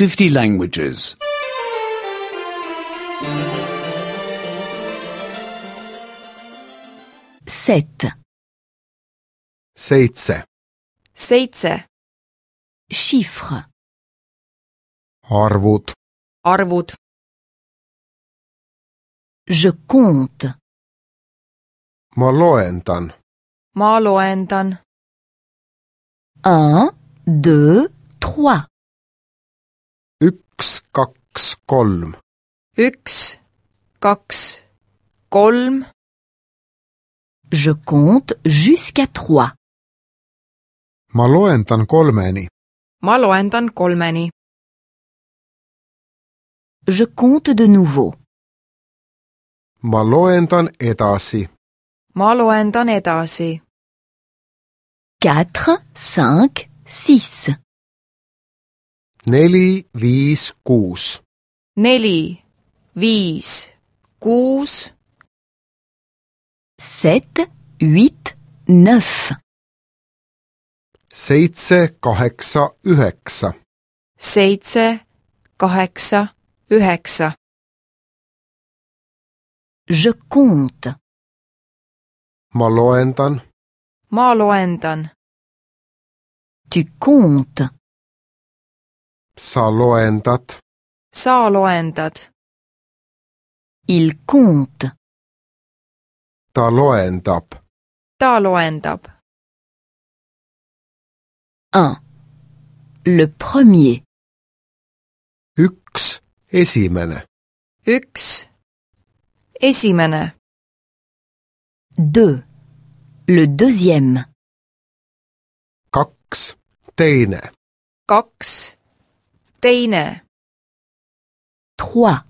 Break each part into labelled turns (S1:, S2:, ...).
S1: 50 languages.
S2: 7.
S3: 7.
S4: 7.
S2: Chiffres.
S3: Arvud.
S4: Arvud.
S2: Je compte.
S3: Ma loendan.
S4: Ma loendan.
S2: 1, 2, 3.
S3: 1, 2, 3.
S4: 1, 2, 3.
S2: Je compte jusqu'à 3.
S3: Ma loendan 3-ni.
S4: Ma loendan 3-ni.
S2: Je compte de nouveau.
S3: Ma loendan edasi.
S4: Ma loendan edasi.
S2: 4, 5, 6.
S3: 4, 5, 6.
S4: 4, 5, 6.
S2: 7, 8, 9.
S3: 7, 8, 9.
S4: 7, 8, 9.
S2: Je compte.
S3: Ma loendan.
S4: Ma loendan.
S2: Tu comptes.
S3: Sa loendad.
S4: Sa loendad.
S2: Il compte.
S3: Ta loendab.
S4: Ta loendab.
S2: 1. Le premier.
S3: 1, esimene.
S4: 1, esimene.
S2: 2. Le deuxième.
S3: 2, teine.
S4: 2, teine.
S2: 3.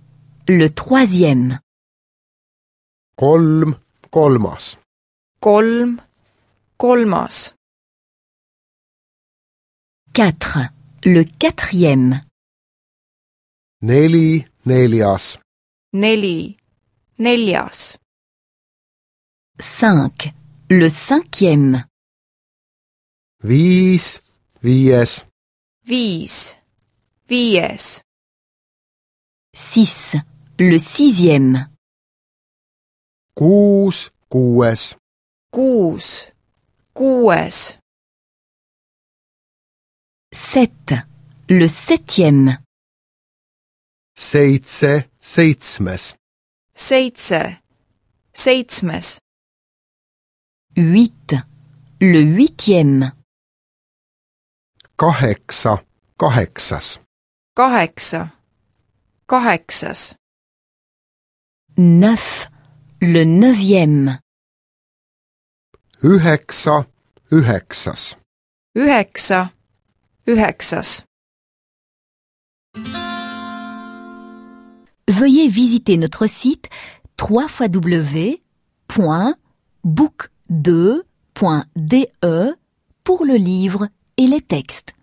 S2: Le troisième.
S3: 3, kolmas.
S4: 3, kolmas.
S2: 4. Le quatrième.
S3: 4, neljas.
S4: 4, neljas.
S2: 5. Le cinquième.
S3: 5, viies.
S4: 5, viies.
S2: 6. Le sixième.
S3: 6, kuues.
S4: 6, kuues.
S2: 7. Le septième.
S3: 7, seitsmes.
S4: 7, seitsmes.
S2: 8. Le huitième.
S3: 8, kaheksas.
S4: 8, kaheksas.
S2: 9. Le neuvième.
S3: 9, üheksas.
S4: 9, üheksas.
S2: Veuillez visiter notre site www.book2.de pour le livre et les textes.